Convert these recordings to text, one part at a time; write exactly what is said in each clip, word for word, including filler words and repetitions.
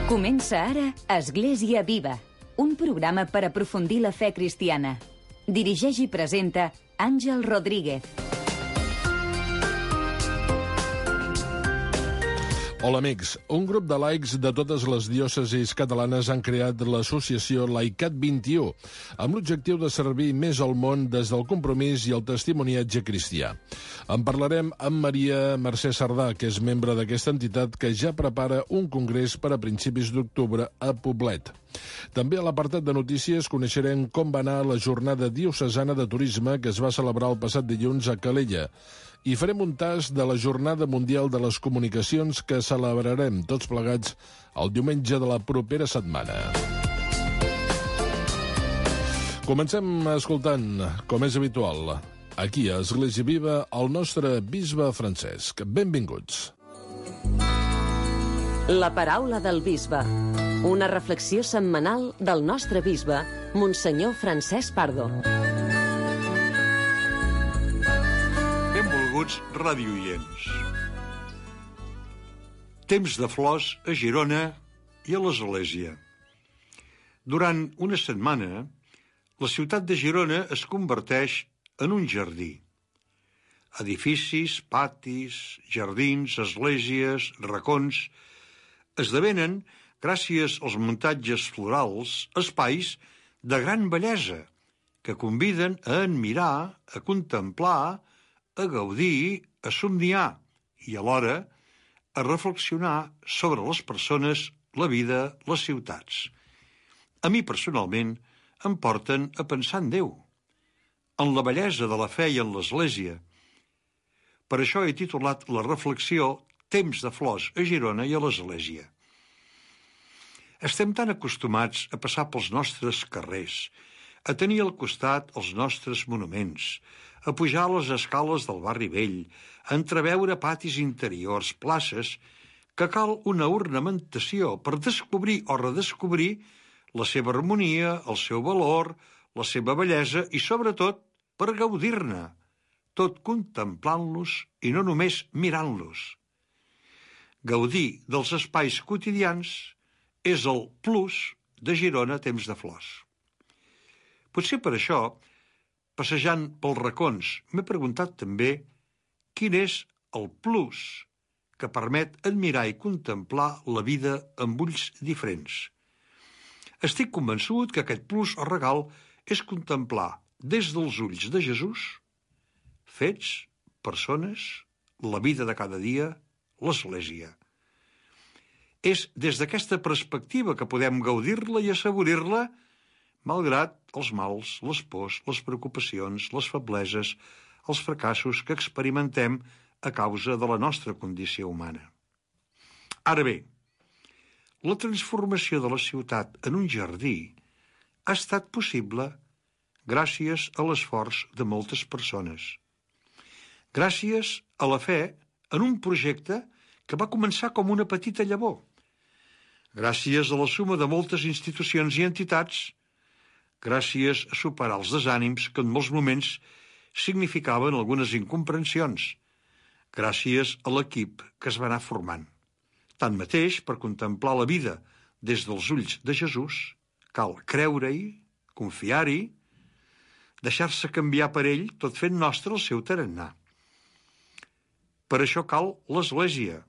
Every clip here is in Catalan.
Comença ara Església Viva, un programa per aprofundir la fe cristiana. Dirigeix i presenta Àngel Rodríguez. Hola amics, un grup de laics de totes les diòcesis catalanes han creat l'associació Laicat vint-i-u amb l'objectiu de servir més al món des del compromís i el testimoniatge cristià. En parlarem amb Maria Mercè Sardà, que és membre d'aquesta entitat que ja prepara un congrés per a principis d'octubre a Poblet. També a l'apartat de notícies coneixerem com va anar la jornada diocesana de turisme que es va celebrar el passat dilluns a Calella. I farem un tas de la Jornada Mundial de les Comunicacions que celebrarem tots plegats el diumenge de la propera setmana. Comencem escoltant, com és habitual, aquí a Església Viva, el nostre bisbe Francesc. Benvinguts. La paraula del bisbe. Una reflexió setmanal del nostre bisbe, Monsenyor Francesc Pardo. Benvolguts radioients. Temps de flors a Girona i a l'Església. Durant una setmana, la ciutat de Girona es converteix en un jardí. Edificis, patis, jardins, esglésies, racons, esdevenen, gràcies als muntatges florals, espais de gran bellesa que conviden a admirar, a contemplar, a gaudir, a somniar i alhora a reflexionar sobre les persones, la vida, les ciutats. A mi personalment em porten a pensar en Déu, en la bellesa de la fe i en l'Església. Per això he titulat la reflexió Temps de flors a Girona i a l'Església. Estem tan acostumats a passar pels nostres carrers, a tenir al costat els nostres monuments, a pujar les escales del barri vell, a entreveure patis interiors, places, que cal una ornamentació per descobrir o redescobrir la seva harmonia, el seu valor, la seva bellesa i, sobretot, per gaudir-ne, tot contemplant-los i no només mirant-los. Gaudir dels espais quotidians és el plus de Girona Temps de flors. Potser per això, passejant pels racons, m'he preguntat també quin és el plus que permet admirar i contemplar la vida amb ulls diferents. Estic convençut que aquest plus o regal és contemplar des dels ulls de Jesús fets, persones, la vida de cada dia, l'Església. És des d'aquesta perspectiva que podem gaudir-la i assaborir-la malgrat els mals, les pors, les preocupacions, les febleses, els fracassos que experimentem a causa de la nostra condició humana. Ara bé, la transformació de la ciutat en un jardí ha estat possible gràcies a l'esforç de moltes persones. Gràcies a la fe en un projecte que va començar com una petita llavor. Gràcies a la suma de moltes institucions i entitats, gràcies a superar els desànims que en molts moments significaven algunes incomprensions, gràcies a l'equip que es va anar formant. Tanmateix, per contemplar la vida des dels ulls de Jesús, cal creure-hi, confiar-hi, deixar-se canviar per ell, tot fent nostre el seu tarannà. Per això cal l'Església,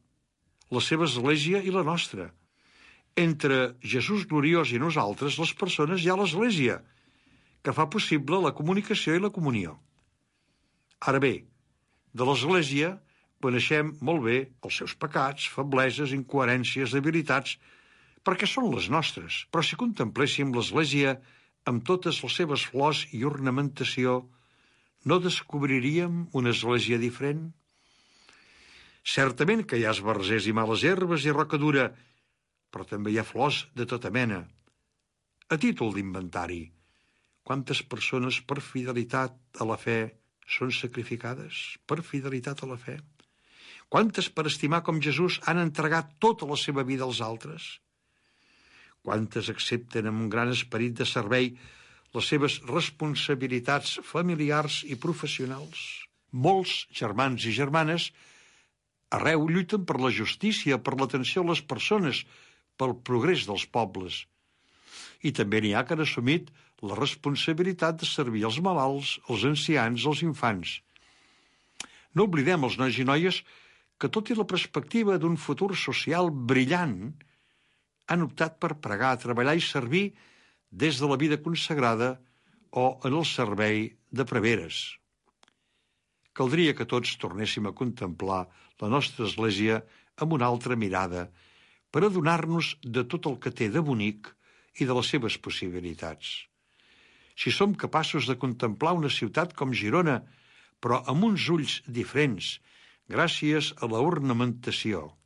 la seva Església i la nostra. Entre Jesús gloriós i nosaltres, les persones, hi ha l'Església, que fa possible la comunicació i la comunió. Ara bé, de l'Església coneixem molt bé els seus pecats, febleses, incoherències, debilitats, perquè són les nostres, però si contempléssim l'Església amb totes les seves flors i ornamentació, no descobriríem una Església diferent? Certament que hi ha esbarzers i males herbes i roca dura, però també hi ha flors de tota mena. A títol d'inventari, quantes persones per fidelitat a la fe són sacrificades? Per fidelitat a la fe? Quantes per estimar com Jesús han entregat tota la seva vida als altres? Quantes accepten amb un gran esperit de servei les seves responsabilitats familiars i professionals? Molts germans i germanes arreu lluiten per la justícia, per l'atenció a les persones, pel progrés dels pobles. I també n'hi ha que han assumit la responsabilitat de servir els malalts, els ancians, els infants. No oblidem els nois i noies que, tot i la perspectiva d'un futur social brillant, han optat per pregar, treballar i servir des de la vida consagrada o en el servei de preveres. Caldria que tots tornéssim a contemplar la nostra Església amb una altra mirada per adonar-nos de tot el que té de bonic i de les seves possibilitats. Si som capaços de contemplar una ciutat com Girona, però amb uns ulls diferents, gràcies a la ornamentació,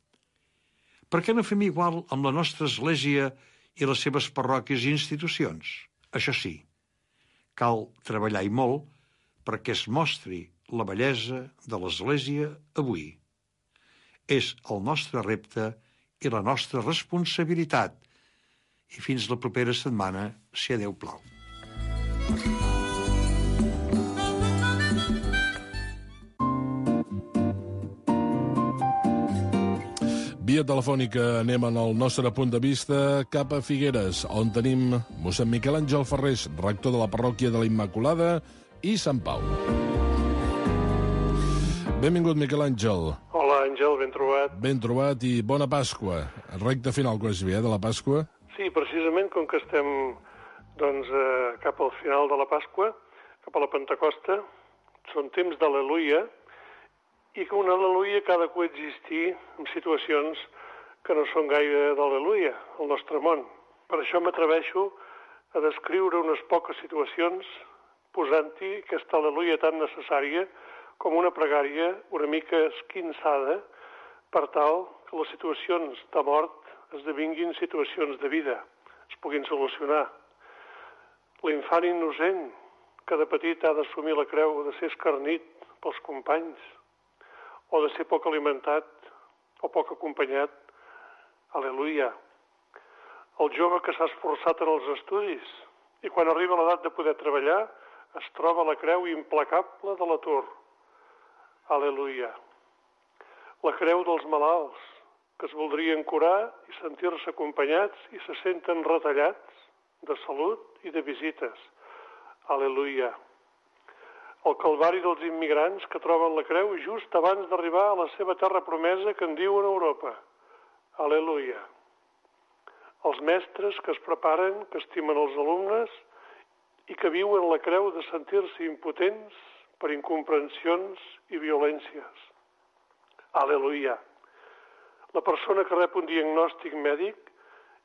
per què no fem igual amb la nostra Església i les seves parròquies i institucions? Això sí, cal treballar i molt perquè es mostri la bellesa de l'Església avui. És el nostre repte i la nostra responsabilitat. I fins la propera setmana, si a Déu plau. Via telefònica anem en el nostre punt de vista cap a Figueres, on tenim mossèn Miquel Àngel Ferrés, rector de la parròquia de la Immaculada i Sant Pau. Benvingut, Miquel Àngel. Hola, Àngel, ben trobat. Ben trobat i bona Pasqua. Recte final, quasi bé, eh, de la Pasqua. Sí, precisament com que estem doncs, eh, cap al final de la Pasqua, cap a la Pentecosta, són temps d'al·leluia, i que un al·leluia que ha de coexistir en situacions que no són gaire d'al·leluia al nostre món. Per això m'atreveixo a descriure unes poques situacions posant-hi aquesta al·leluia tan necessària com una pregària una mica esquinçada per tal que les situacions de mort esdevinguin situacions de vida, es puguin solucionar. L'infant innocent que de petit ha d'assumir la creu de ser escarnit pels companys, o de ser poc alimentat o poc acompanyat, al·leluia. El jove que s'ha esforçat en els estudis i quan arriba l'edat de poder treballar es troba a la creu implacable de l'atur, al·leluia. La creu dels malalts que es voldrien curar i sentir-se acompanyats i se senten retallats de salut i de visites, al·leluia. El calvari dels immigrants que troben la creu just abans d'arribar a la seva terra promesa que en diuen Europa. Al·leluia. Els mestres que es preparen, que estimen els alumnes i que viuen la creu de sentir-se impotents per incomprensions i violències. Al·leluia. La persona que rep un diagnòstic mèdic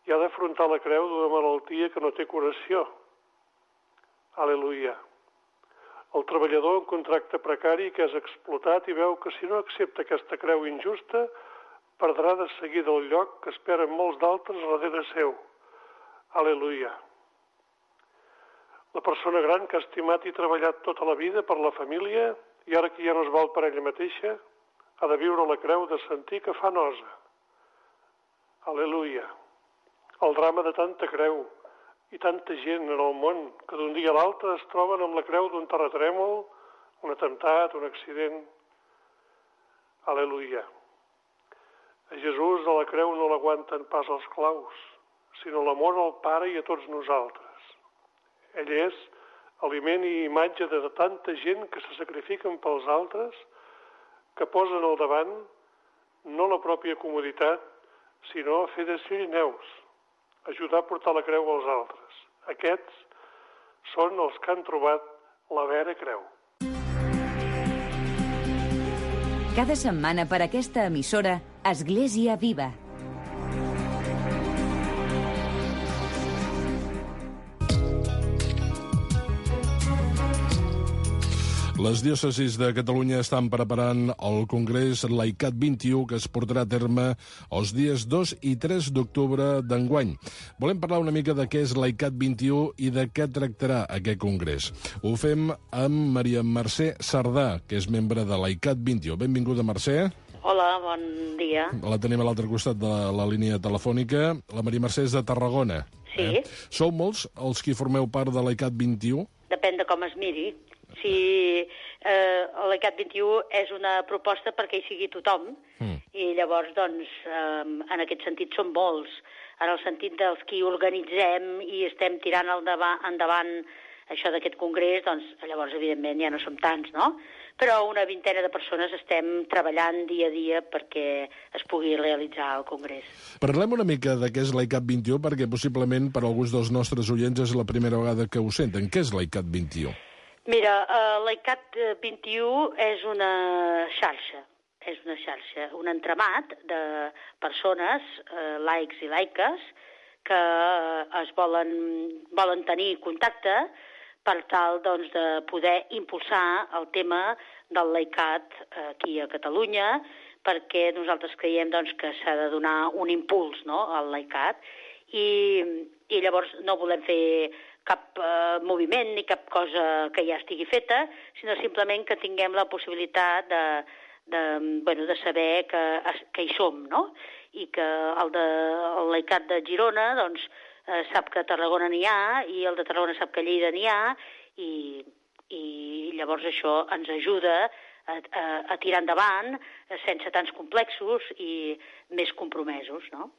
i ha d'afrontar la creu d'una malaltia que no té curació. Al·leluia. El treballador en contracte precari que és explotat i veu que si no accepta aquesta creu injusta perdrà de seguida el lloc que esperen molts d'altres darrere seu. Al·leluia. La persona gran que ha estimat i treballat tota la vida per la família i ara que ja no es val per ella mateixa ha de viure la creu de sentir que fa nosa. Al·leluia. El drama de tanta creu i tanta gent en el món que d'un dia a l'altre es troben amb la creu d'un terratrèmol, un atemptat, un accident. Al·leluia. A Jesús a la creu no l'aguanten pas els claus, sinó l'amor al Pare i a tots nosaltres. Ell és aliment i imatge de tanta gent que se sacrifiquen pels altres, que posen al davant no la pròpia comoditat, sinó a fer de Cirineus, ajudar a portar la creu als altres. Aquests són els que han trobat la vera creu. Cada setmana per aquesta emissora, Església Viva. Les diòcesis de Catalunya estan preparant el Congrés Laicat vint i u que es portarà a terme els dies dos i tres d'octubre d'enguany. Volem parlar una mica de què és Laicat vint i u i de què tractarà aquest congrés. Ho fem amb Maria Mercè Sardà, que és membre de Laicat vint i u. Benvinguda, Mercè. Hola, bon dia. La tenim a l'altre costat de la línia telefònica. La Maria Mercè és de Tarragona. Sí. Eh? Sou molts els qui formeu part de Laicat vint i u? Depèn de com es miri. Si eh, el Laicat vint i u és una proposta perquè hi sigui tothom, mm. i llavors, doncs, eh, en aquest sentit són molts. en el sentit dels qui organitzem i estem tirant endavant, endavant això d'aquest congrés, doncs llavors, evidentment, ja no som tants, no? Però una vintena de persones estem treballant dia a dia perquè es pugui realitzar el congrés. Parlem una mica de què és l'ICAT vint i u, perquè possiblement per alguns dels nostres oients és la primera vegada que ho senten. Què és l'ICAT vint i u? Mira, uh, l'ICAT vint i u és una xarxa, és una xarxa, un entramat de persones, uh, laics i laiques, que uh, es volen, volen tenir contacte per tal doncs, de poder impulsar el tema del laicat aquí a Catalunya, perquè nosaltres creiem doncs, que s'ha de donar un impuls, no?, al laicat, i, i llavors no volem fer cap eh, moviment ni cap cosa que ja estigui feta, sinó simplement que tinguem la possibilitat de, de, bueno, de saber que, que hi som, no?, i que el, de, el laicat de Girona doncs, eh, sap que a Tarragona n'hi ha, i el de Tarragona sap que a Lleida n'hi ha, i, i llavors això ens ajuda a, a, a tirar endavant sense tants complexos i més compromesos, no?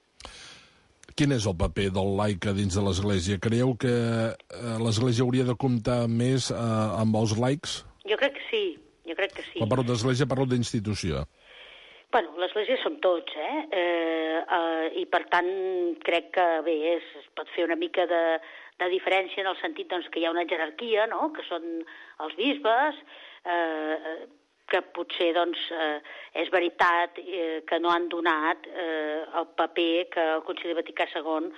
Quin és el paper del laic dins de l'Església? Creieu que eh, l'Església hauria de comptar més eh, amb els laics? Jo crec que sí, jo crec que sí. Quan parlo d'Església parlo d'institució. Bueno, l'Església som tots, eh? eh, eh I per tant crec que bé, es, es pot fer una mica de, de diferència en el sentit doncs, que hi ha una jerarquia, no?, que són els bisbes, eh, que potser doncs, eh, és veritat eh, que no han donat eh, el paper que el Concili Vaticà segon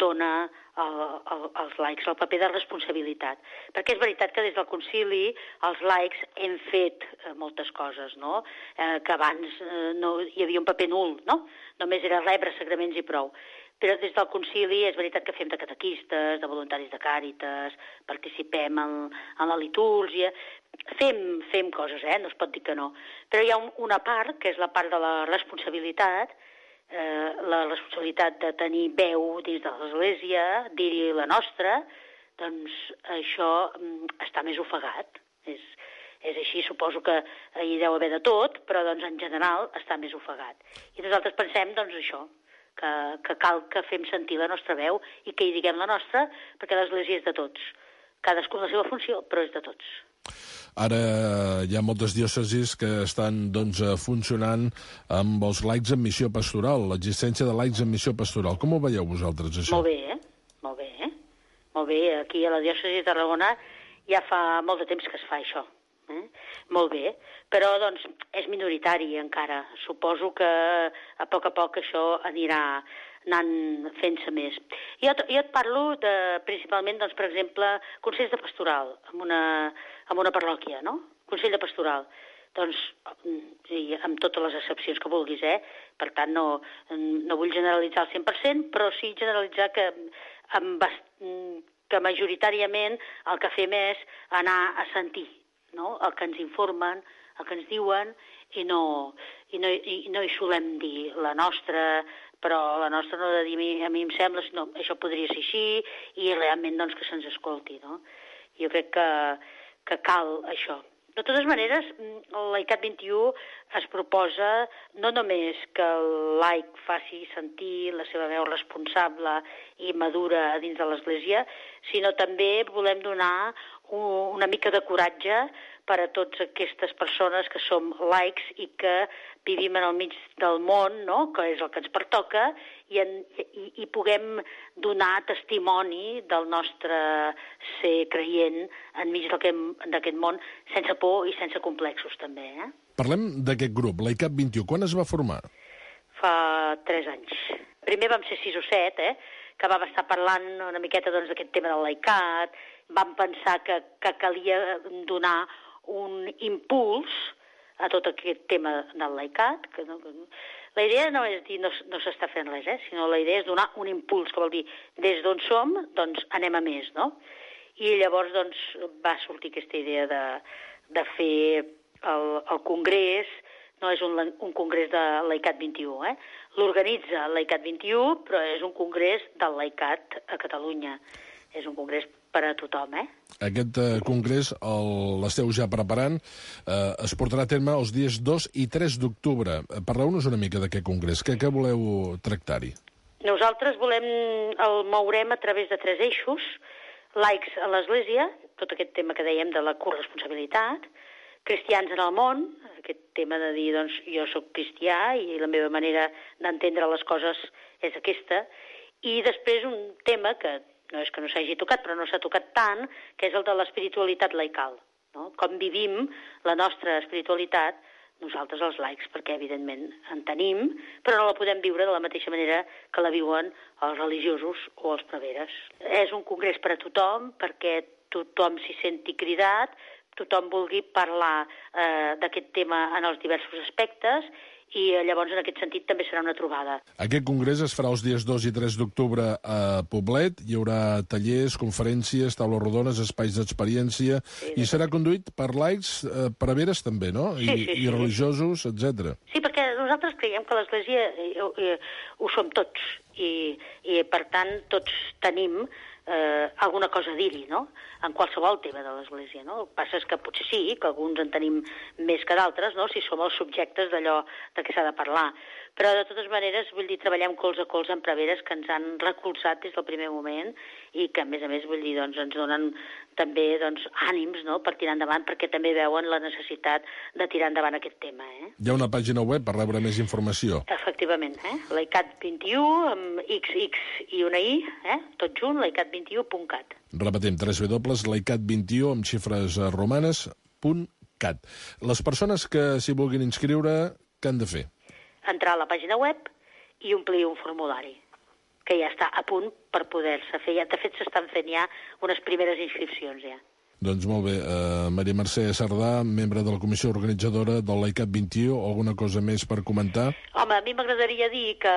dona el, el, als laics, el paper de responsabilitat. Perquè és veritat que des del concili els laics hem fet eh, moltes coses, no?, eh, que abans eh, no, hi havia un paper nul, no?, només era rebre sagraments i prou. Però des del concili és veritat que fem de catequistes, de voluntaris de càritas, participem en, en la litúrgia, fem, fem coses, eh? No es pot dir que no. Però hi ha un, una part, que és la part de la responsabilitat, eh, la responsabilitat de tenir veu dins de l'Església, dir-hi la nostra, doncs això mm, està més ofegat. És, és així, suposo que hi deu haver de tot, però doncs en general està més ofegat. I nosaltres pensem, doncs, això, que, que cal que fem sentir la nostra veu i que hi diguem la nostra, perquè l'Església és de tots. Cadascú la seva funció, però és de tots. Ara hi ha moltes diòcesis que estan doncs, funcionant amb els laics en missió pastoral, l'existència de laics en missió pastoral. Com ho veieu vosaltres, això? Molt bé, eh? Molt bé, eh? Molt bé, aquí a la diòcesi de Tarragona ja fa molt de temps que es fa això. Eh? Molt bé, però doncs és minoritari encara. Suposo que a poc a poc això anirà anant fent-se més. Jo, jo et parlo de, principalment, doncs, per exemple, consells de pastoral en una, en una parròquia, no? Consell de pastoral. Doncs, i amb totes les excepcions que vulguis, eh? Per tant, no, no vull generalitzar al cent per cent, però sí generalitzar que, amb, que majoritàriament el que fem és anar a sentir, no?, el que ens informen, el que ens diuen, i no, i no, i no hi solem dir la nostra, però la nostra no ha de dir a mi, a mi em sembla, sinó això podria ser així, i realment doncs, que se'ns escolti, no? Jo crec que, que cal això. De totes maneres, l'ICAT vint i u es proposa no només que el laic faci sentir la seva veu responsable i madura dins de l'Església, sinó també volem donar una mica de coratge per a totes aquestes persones que som laics i que vivim en el mig del món, no?, que és el que ens pertoca, i, en, i, i puguem donar testimoni del nostre ser creient enmig d'aquest món, sense por i sense complexos, també. Eh? Parlem d'aquest grup, l'ICAT vint i u. Quan es va formar? Fa tres anys. Primer vam ser sis o set, eh?, que vam estar parlant una miqueta doncs, d'aquest tema del laicat, vam pensar que, que calia donar un impuls a tot aquest tema del laicat. Que no, que no. La idea no és dir no, no s'està fent res, eh? Sinó la idea és donar un impuls, que vol dir des d'on som, doncs anem a més, no? I llavors doncs, va sortir aquesta idea de, de fer el, el congrés. No és un, un congrés de l'ICAT vint i u, eh? L'organitza l'ICAT vint i u, però és un congrés del laicat a Catalunya. És un congrés per a tothom, eh? Aquest eh, congrés l'esteu ja preparant. Eh, es portarà a terme els dies dos i tres d'octubre. Parleu-nos una mica d'aquest congrés. Què, què voleu tractar-hi? Nosaltres volem, el mourem a través de tres eixos, laics a l'Església, tot aquest tema que dèiem de la corresponsabilitat, cristians en el món, aquest tema de dir, doncs, jo sóc cristià i la meva manera d'entendre les coses és aquesta, i després un tema que no és que no s'hagi tocat, però no s'ha tocat tant, que és el de l'espiritualitat laical, no? Com vivim la nostra espiritualitat nosaltres els laics, perquè evidentment en tenim, però no la podem viure de la mateixa manera que la viuen els religiosos o els preveres. És un congrés per a tothom, perquè tothom s'hi senti cridat, tothom vulgui parlar eh, d'aquest tema en els diversos aspectes, i llavors en aquest sentit també serà una trobada. Aquest congrés es farà els dies dos i tres d'octubre a Poblet. Hi haurà tallers, conferències, taules rodones, espais d'experiència, sí, i serà conduït per laics, eh, preveres també, no? I, sí, sí, sí, i religiosos, etcètera. Sí, perquè nosaltres creiem que l'Església eh, eh, ho som tots, i, i per tant tots tenim eh, alguna cosa a dir-hi, no?, en qualsevol tema de l'Església, no? El que passa és que potser sí, que alguns en tenim més que d'altres, no?, si som els subjectes d'allò de què s'ha de parlar. Però, de totes maneres, vull dir, treballem colze a colze amb preveres que ens han recolzat des del primer moment i que, a més a més, vull dir, doncs, ens donen també doncs, ànims, no?, per tirar endavant, perquè també veuen la necessitat de tirar endavant aquest tema, eh? Hi ha una pàgina web per rebre més informació. Efectivament, eh? laicat vint i u, amb X X i una I, eh? Tot junt, laicat vint i u punt cat. Repetim, w w w punt laicat vint i u amb xifres romanes punt cat. Les persones que s'hi vulguin inscriure, què han de fer? Entrar a la pàgina web i omplir un formulari, que ja està a punt per poder-se fer. De fet, s'estan fent ja unes primeres inscripcions, ja. Doncs molt bé. Uh, Maria Mercè Sardà, membre de la comissió organitzadora del laicat vint i u, alguna cosa més per comentar? Home, a mi m'agradaria dir que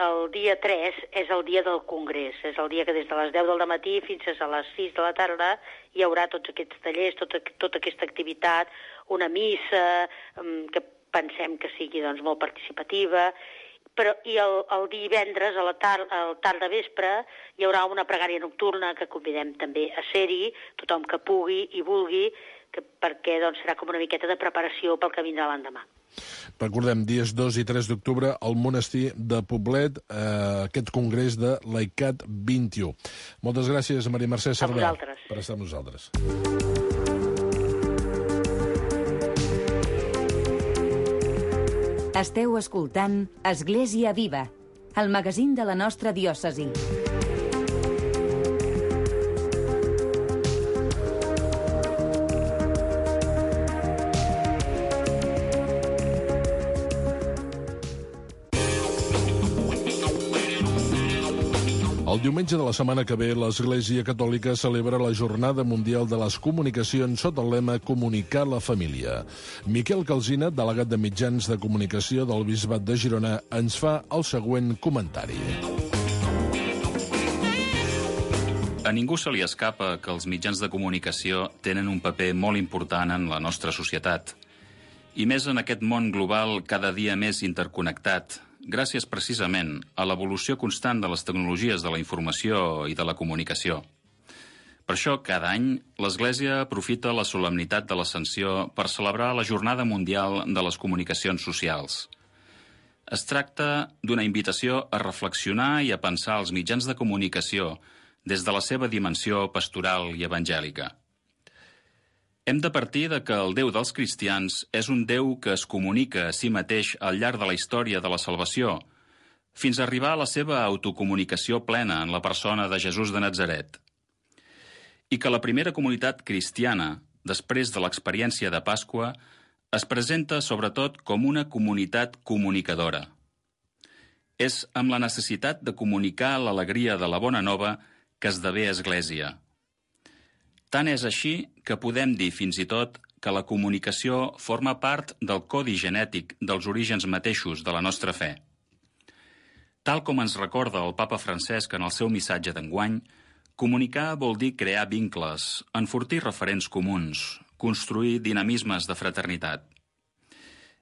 el dia tres és el dia del congrés, és el dia que des de les deu del matí fins a les sis de la tarda hi haurà tots aquests tallers, tota, tota aquesta activitat, una missa, que pensem que sigui doncs, molt participativa, però i el, el divendres a la tar al tard de vespre hi haurà una pregària nocturna que convidem també a ser-hi, tothom que pugui i vulgui, que, perquè doncs, serà com una miqueta de preparació pel que vindrà l'endemà. Recordem, dies dos i tres d'octubre al monestir de Poblet, eh, aquest congrés de laicat vint i u. Moltes gràcies, Maria Mercè Sardà, per estar amb nosaltres. Esteu escoltant Església Viva, el magazín de la nostra diòcesi. El diumenge de la setmana que ve, l'Església Catòlica celebra la Jornada Mundial de les Comunicacions sota el lema Comunicar la Família. Miquel Calsina, delegat de mitjans de comunicació del Bisbat de Girona, ens fa el següent comentari. A ningú se li escapa que els mitjans de comunicació tenen un paper molt important en la nostra societat. I més en aquest món global cada dia més interconnectat, gràcies precisament a l'evolució constant de les tecnologies de la informació i de la comunicació. Per això, cada any, l'Església aprofita la solemnitat de l'Ascensió per celebrar la Jornada Mundial de les Comunicacions Socials. Es tracta d'una invitació a reflexionar i a pensar els mitjans de comunicació des de la seva dimensió pastoral i evangèlica. Hem de partir de que el Déu dels cristians és un Déu que es comunica a si mateix al llarg de la història de la salvació, fins a arribar a la seva autocomunicació plena en la persona de Jesús de Natzaret. I que la primera comunitat cristiana, després de l'experiència de Pasqua, es presenta sobretot com una comunitat comunicadora. És amb la necessitat de comunicar l'alegria de la bona nova que esdevé Església. Tant és així que podem dir fins i tot que la comunicació forma part del codi genètic dels orígens mateixos de la nostra fe. Tal com ens recorda el papa Francesc en el seu missatge d'enguany, comunicar vol dir crear vincles, enfortir referents comuns, construir dinamismes de fraternitat.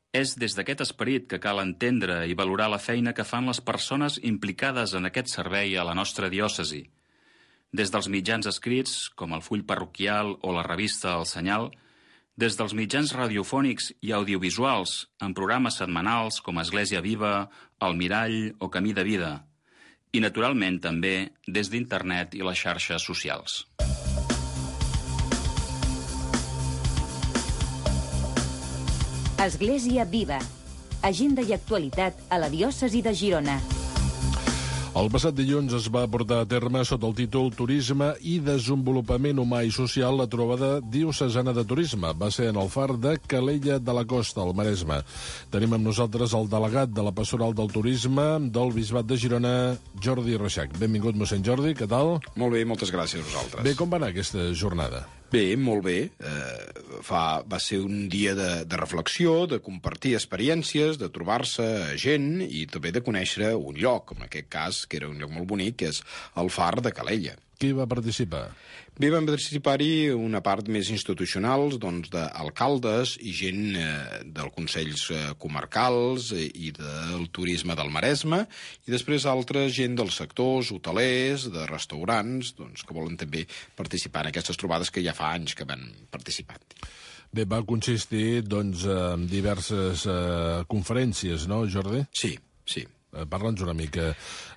És des d'aquest esperit que cal entendre i valorar la feina que fan les persones implicades en aquest servei a la nostra diòcesi, des dels mitjans escrits, com el full parroquial o la revista El Senyal, des dels mitjans radiofònics i audiovisuals, en programes setmanals com Església Viva, El Mirall o Camí de Vida, i, naturalment, també des d'internet i les xarxes socials. Església Viva. Agenda i actualitat a la diòcesi de Girona. El passat dilluns es va portar a terme sota el títol Turisme i Desenvolupament Humà i Social la trobada diocesana de turisme. Va ser en el far de Calella de la Costa, al Maresme. Tenim amb nosaltres el delegat de la Pastoral del Turisme del Bisbat de Girona, Jordi Reixac. Benvingut, mossèn Jordi, què tal? Molt bé, moltes gràcies a vosaltres. Bé, com va anar aquesta jornada? Bé, molt bé. Eh, fa, va ser un dia de, de reflexió, de compartir experiències, de trobar-se gent i també de conèixer un lloc, en aquest cas, que era un lloc molt bonic, que és el far de Calella. Qui va participar? Bé, van participar-hi una part més institucional, doncs, d'alcaldes i gent eh, dels consells eh, comarcals eh, i del turisme del Maresme, i després altra gent dels sectors hotelers, de restaurants, doncs, que volen també participar en aquestes trobades que ja fa anys que van participar. Bé, va consistir, doncs, en diverses eh, conferències, no, Jordi? Sí, sí. Parla'ns una mica.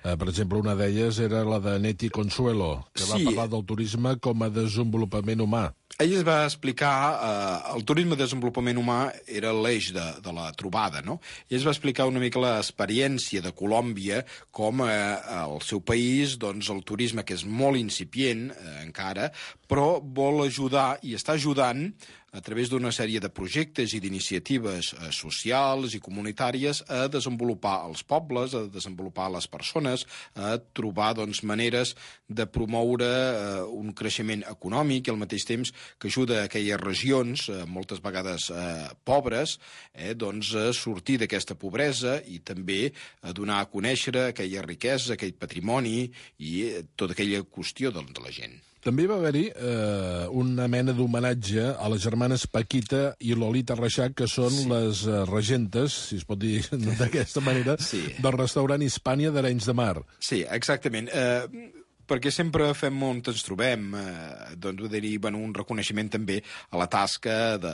Eh, per exemple, una d'elles era la de Neti Consuelo, que va Sí. parlar del turisme com a desenvolupament humà. Ell es va explicar, eh, el turisme de desenvolupament humà era l'eix de, de la trobada, no? Ell es va explicar una mica l'experiència de Colòmbia, com eh, al seu país, doncs, el turisme, que és molt incipient eh, encara, però vol ajudar i està ajudant a través d'una sèrie de projectes i d'iniciatives eh, socials i comunitàries a desenvolupar els pobles, a desenvolupar les persones, a trobar, doncs, maneres de promoure eh, un creixement econòmic i al mateix temps que ajuda a aquelles regions, eh, moltes vegades eh, pobres, eh, doncs, a sortir d'aquesta pobresa i també a donar a conèixer aquella riquesa, aquell patrimoni i eh, tota aquella qüestió de, de la gent. També va haver-hi eh, una mena d'homenatge a les germanes Paquita i Lolita Reixac, que són sí. les eh, regentes, si es pot dir d'aquesta manera, sí. del restaurant Hispània d'Arenys de Mar. Sí, exactament. Eh, perquè sempre fem on ens trobem, eh, doncs, dir, bueno, un reconeixement també a la tasca de,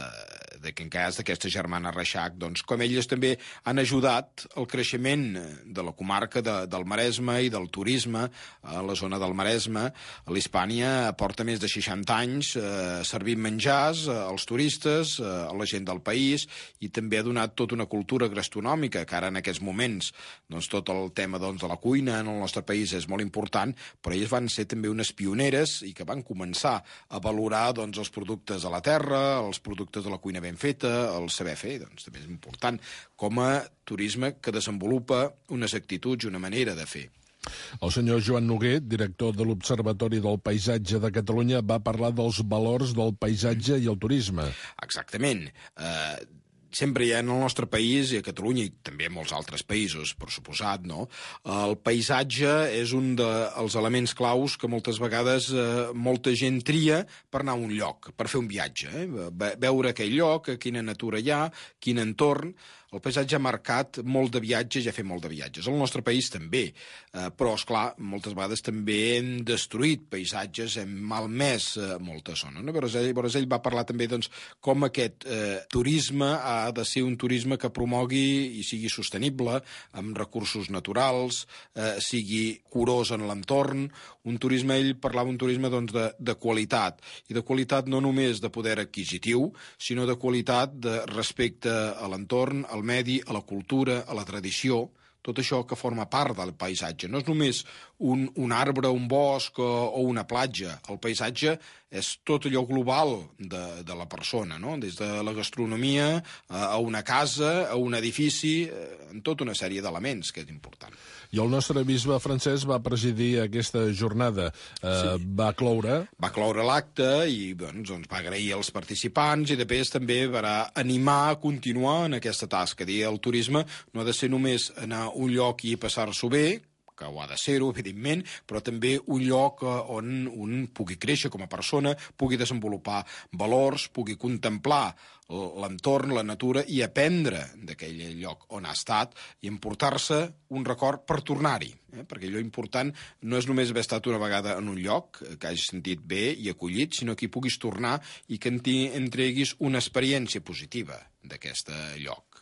de que en cas d'aquesta germana Reixac, doncs, com elles també han ajudat al creixement de la comarca de, del Maresme i del turisme a la zona del Maresme. L'Hispània porta més de seixanta anys eh, servint menjars eh, als turistes, eh, a la gent del país, i també ha donat tota una cultura gastronòmica, que ara en aquests moments doncs, tot el tema doncs, de la cuina en el nostre país és molt important, però elles van ser també unes pioneres i que van començar a valorar doncs, els productes de la terra, els productes de la cuina ben feta, el saber fer, doncs també és important, com a turisme que desenvolupa unes actituds i una manera de fer. El senyor Joan Noguer, director de l'Observatori del Paisatge de Catalunya, va parlar dels valors del paisatge i el turisme. Exactament. Eh, sempre hi ha en el nostre país, i a Catalunya, i també en molts altres països, per suposat, no? El paisatge és un dels elements claus que moltes vegades eh, molta gent tria per anar a un lloc, per fer un viatge. Eh? Veure aquell lloc, quina natura hi ha, quin entorn. El paisatge ha marcat molt de viatges i ha fet molt de viatges. El nostre país també, eh, però, esclar, moltes vegades també hem destruït paisatges, hem malmès eh, molta zona. No? Llavors, ell, llavors ell va parlar també doncs, com aquest eh, turisme ha de ser un turisme que promogui i sigui sostenible, amb recursos naturals, eh, sigui curós en l'entorn. Un turisme, ell parlava un turisme doncs, de, de qualitat, i de qualitat no només de poder adquisitiu, sinó de qualitat de respecte a l'entorn, al medi, a la cultura, a la tradició, tot això que forma part del paisatge. No és només un, un arbre, un bosc o, o una platja. El paisatge és tot allò global de, de la persona, no? Des de la gastronomia a una casa, a un edifici, en tota una sèrie d'elements que és important. I el nostre bisbe francès va presidir aquesta jornada. Eh, sí. Va cloure... Va cloure l'acte i doncs, doncs, va agrair als participants i després també va animar a continuar en aquesta tasca. Dir, el turisme no ha de ser només anar a un lloc i passar-s'ho bé, que ho ha de ser-ho, evidentment, però també un lloc on un pugui créixer com a persona, pugui desenvolupar valors, pugui contemplar l'entorn, la natura, i aprendre d'aquell lloc on ha estat i emportar-se un record per tornar-hi. Eh? Perquè allò important no és només haver estat una vegada en un lloc, que hagis sentit bé i acollit, sinó que hi puguis tornar i que en treguis una experiència positiva d'aquest lloc.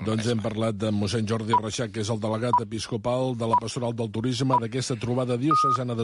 Doncs hem parlat de mossèn Jordi Reixac, que és el delegat episcopal de la Pastoral del Turisme, d'aquesta trobada diocesana de